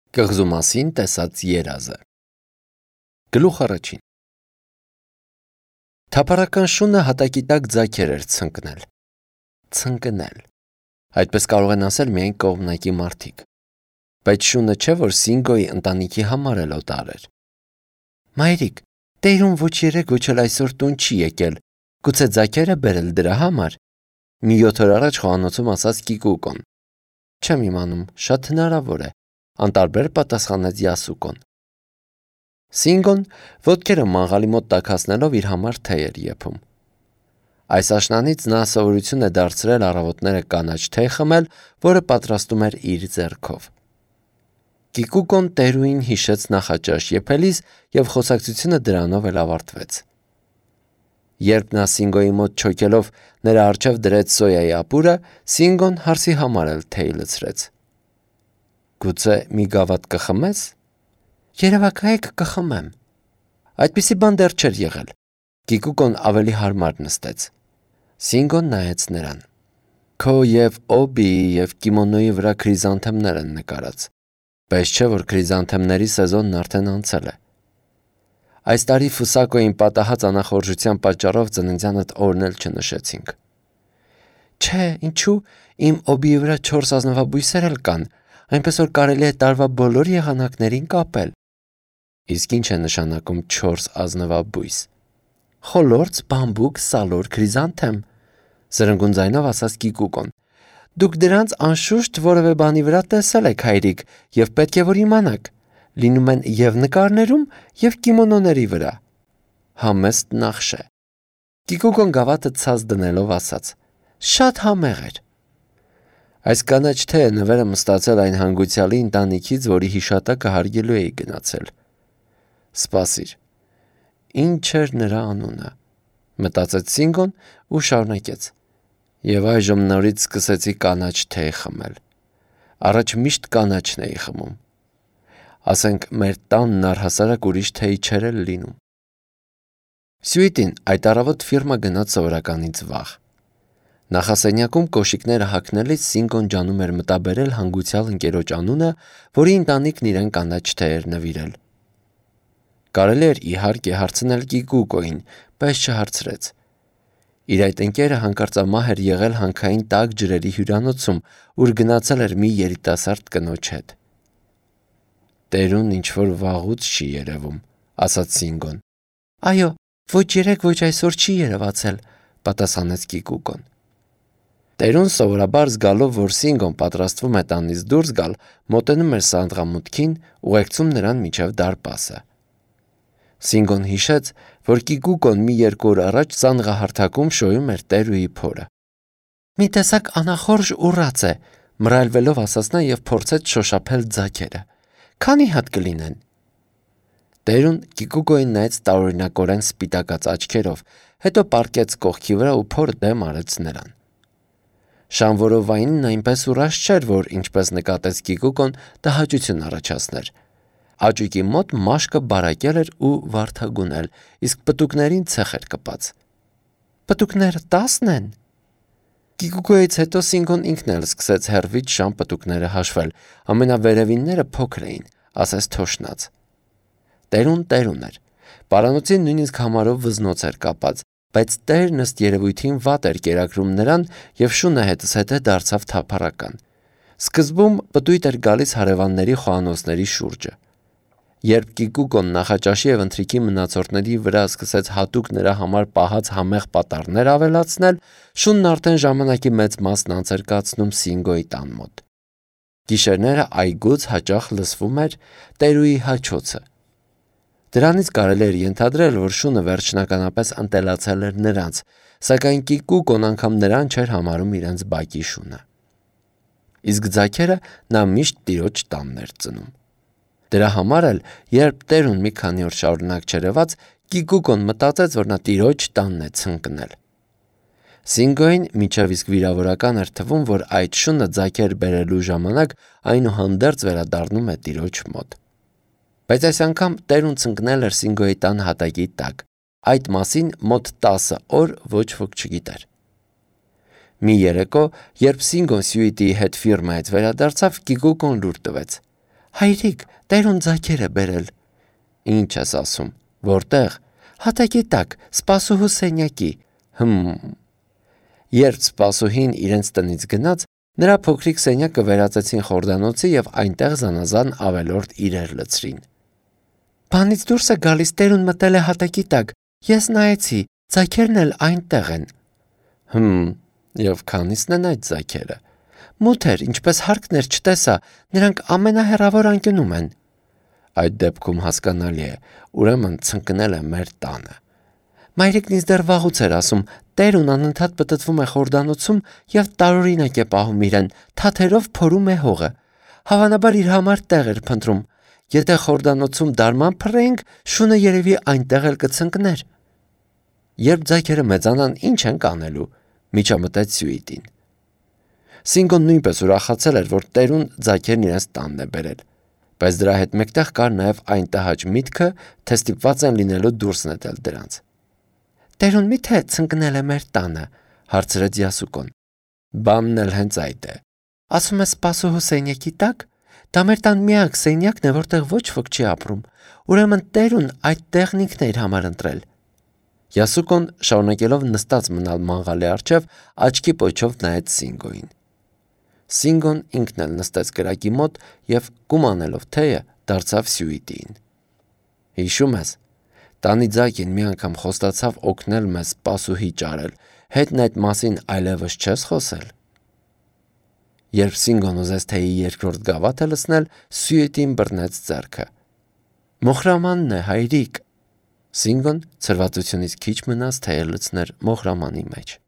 Կղզու մասին տեսած երազը։ Գլուխ առաջին։ Թափառական շունը հատակի տակ ձագեր էր ցնկնել։ Ցնկնել։ Այդպես կարող են ասել միայն կողմնակի մարդիկ։ Բայց շունը չէ, որ Սինգոյի ընտանիքի համար էլ օտար էր։ Մայրիկ, տերուն ոչ երեք ոչ էլ այսօր տուն չի եկել։ Գուցե ձագերը բերել դրա համար։ Մի 7 օր առաջ խոհանոցում ասաց Կիկուկոն։ Չեմ իմանում, շատ հնարավոր է, անտարբեր պատասխանեց Յասուկոն։ Սինգոն ոտքերը մաղալի մոտ տաքացնելով իր համար թեյ էր եփում։ Այս աշնանից նա սովորություն է դարձրել առավոտները կանաչ թեյ խմել, որը պատրաստում էր իր ձեռքով։ Կիկուկոն տերուին հիշեց նախաճաշ եփելիս եւ խոսակցությունը դրանով էլ ավարտվեց։ Երբ նա Սինգոյի մոտ չոքելով նրա առջև դրեց սոյայի ապուրը, Սինգոն հարսի համար էլ թեյ լցրեց։ Գուցե մի գավաթ կխմես։ Երևակայեք կխմեմ։ Այդպիսի բան դեռ չէր եղել։ Կիկուկոն ավելի հարմար նստեց։ Սինգոն նայեց նրան։ Քո եւ օբիի եւ կիմոնոյի վրա քրիզանթեմներ են նկարած։ Բայց չէ որ քրիզանթեմների սեզոնն արդեն անցել է։ Այս տարի Ֆուսակոյին պատահած անախորժության պատճառով ծննդյանդ օրն էլ չնշեցինք։ Չէ, ինչու, իմ օբիի վրա 4 ազնվաբույսեր էլ կան, այնպես որ կարելի է տարվա բոլոր եղանակներին կապել։ Իսկ ինչ է նշանակում 4 ազնվաբույս։ Խոլորձ, բամբուկ, սալոր, քրիզանթեմ, սրընգուն ձայնով ասաց Կիկուկոն։ Դուք դրանց անշուշտ որևէ բանի վրա տեսել եք, հայրիկ, եւ պետք է որ իմանաք։ Լինում են եւ նկարներում, եւ կիմոնոների վրա։ Համեստ նախշ է։ Կիկուկոն գավաթը ցած դնելով ասաց. Շատ համեղ էր։ Այս կանաչ թեյը նվերը մստացել այն հանգուցյալի ընտանիքից, որի հիշատակը հարգելու էի գնացել։ Սպասիր։ Ինչ էր նրա անունը։ Մտածեց Սինգոն ու շարունակեց. Եվ այժմ նորից սկսեցի կանաչ թեյ խմել։ Առաջ միշտ կանաչն էի խմում։ Ասենք մեր տանն առհասարակ ուրիշ թեյ չէր էլ լինում։ Սյուիտին այդ առավոտ ֆիրմա գնաց սովորականից վաղ։ Նախասենյակում կոշիկները հագնելիս Սինգոն ջանում էր մտաբերել հանգուցյալ ընկերոջ անունը, որի ընտանիքն իրեն կանաչ թեյ էր նվիրել։ Կարելի էր իհարկե հարցնել Կիկուկոին, բայց չհարցրեց։ Իր այդ ընկերը հանկարծամահ էր եղել հանքային տաք ջրերի հյուրանոցում, ուր գնացել էր մի երիտասարդ կնոջ հետ։ Տերուն ինչ-որ վաղուց չի երևում, ասաց Սինգոն։ Այո, ոչ երեք ոչ այսօր չի երևացել, պատասխանեց Կիկուկոն։ Տերուն սովորաբար զգալով, որ Սինգոն պատրաստվում է տանից դուրս գալ, մոտենում էր սանդղամուտքին, ուղեկցում նրան մինչև դարպասը։ Սինգոն հիշեց, որ Կիկուկոն մի 2 օր առաջ սանդղահարթակում շոյում էր տերուի փորը։ Մի տեսակ անախորժ ուռած է, մռայլվելով ասաց նա եւ փորձեց շոշափել ձագերը։ Քանի հատ կլինեն։ Տերուն Կիկուկոին նայեց տարօրինակորեն սպիտակած աչքերով, հետո պառկեց կողքի վրա ու փորը դեմ արեց նրան։ Շանվորովայինն այնպես ուռած չէր, որ ինչպես նկատեց Կիկուկոն, տհաճություն առաջացներ։ Աճուկի մոտ մաշկը բարակել էր ու վարդագունել, իսկ պտուկներին ցեխ էր կպած։ Պտուկները 10 են։ Կիկուկոյից հետո Սինգոն ինքն էլ սկսեց հեռվից շան պտուկները հաշվել, ամենավերևինները փոքր էին, ասես թոշնած։ Տերուն էր։ Պարանոցին նույնիսկ համարով վզնոց էր կապած, բայց տերն ըստ երևույթին վատ էր կերակրում նրան եւ շունը հետզհետե դարձավ թափառական։ Սկզբում պտույտ էր գալիս հարևանների խոհանոցների շուրջը։ Երբ Կիկուկոն նախաճաշի եւ ընթրիքի մնացորդների վրա սկսեց հատուկ նրա համար պահած համեղ պատառներ ավելացնել, շունն արդեն ժամանակի մեծ մասն անց էր կացնում Սինգոյի տան մոտ։ Գիշերները այգուց հաճախ լսվում էր տերուի հաչոցը։ Դրանից կարելի էր ենթադրել, որ շունը վերջնականապես ընտելացել էր նրանց, սակայն Կիկուկոն անգամ նրան չէր համարում իրենց բակի շունը։ Իսկ ձագերը նա միշտ տիրոջ տանն էր ծնում։ Դրա համար էլ, երբ տերուն մի քանի օր շարունակ չերևաց, Կիկուկոն մտածեց, որ նա տիրոջ տանն է ցնկնել։ Սինգոյին մինչև իսկ վիրավորական էր թվում, որ այդ շունը ձագեր բերելու ժամանակ այնուհանդերձ վերադառնում է տիրոջ մոտ։ Բայց այս անգամ տերուն ցնկնել էր Սինգոյի տան հատակի տակ։ Այդ մասին մոտ 10 օր ոչ ոք չգիտեր։ Մի երեկո, երբ Սինգոն Սյուիտիի հետ ֆիրմայից վերադարձավ, Կիկուկոն լուր տվեց։ Հայրիկ, Տերուն ձագեր է բերել։ Ինչ ես ասում, որտեղ։ Հատակի տակ, սպասուհու սենյակի։ Երբ սպասուհին իրենց տնից գնաց, նրա փոքրիկ սենյակը վերածեցին խորդանոցի և այնտեղ զանազան ավելորդ իրեր լցրին։ Բանից դուրս է գալիս, Տերուն մտել է հատակի տակ, ես նայեցի, ձագերն էլ այնտեղ են։ Եվ քանիսն են այդ ձագերը։ Մութ էր, ինչպես հարկն էր չտեսա, նրանք ամենահեռավոր անկյունում են։ Այդ դեպքում հասկանալի է, ուրեմն ցնկնել է մեր տանը։ Մայրիկն ինձ դեռ վաղուց էր ասում, Տերուն անընդհատ պտտվում է խորդանոցում և տարօրինակ է պահում իրեն, թաթերով փորում է հողը։ Հավանաբար իր համար տեղ էր փնտրում։ Եթե խորդանոցում դարման փռեինք, շունը երևի այնտեղ էլ կցնկներ։ Երբ ձագերը մեծանան, ինչ ենք անելու, միջամտեց Սյուիտին։ Սինգոն նույնպես ուրախացել էր, որ Տերուն ձագերն իրենց տանն է բերել, բայց դրա հետ մեկտեղ կար նաև այն տհաճ միտքը, թե ստիպված են լինելու դուրս նետել դրանց։ Տերուն մի՞թե ցնկնել է մեր տանը, հարցրեց Յասուկոն։ Բանն էլ հենց այդ է։ Ասում ես սպասուհու սենյակի տակ։ Դա մեր տան միակ սենյակն է, որտեղ ոչ ոք չի ապրում։ Ուրեմն Տերուն այդ տեղն ինքն է իր համար ընտրել։ Յասուկոն շարունակելով նստած մնալ մանգալի առջև, աչքի պոչով նայեց Սինգոյին։ Սինգոն ինքն էլ նստեց կրակի մոտ և կումանելով թեյը դարձավ Սյուիտիին։ Հիշում ես, տանի ձագին մի անգամ խոստացավ օգնել մեզ սպասուհի ճարել, հետն այդ մասին այլևս չես խոսել։ Երբ Սինգոն ուզեց թեյի երկրորդ գավաթը լցնել, Սյուիտին բռնեց ձեռքը։ Մոխրամանն է, հայրիկ։ Սինգոն ցրվածությունից քիչ մնաց թեյը լցներ մոխրամանի մեջ։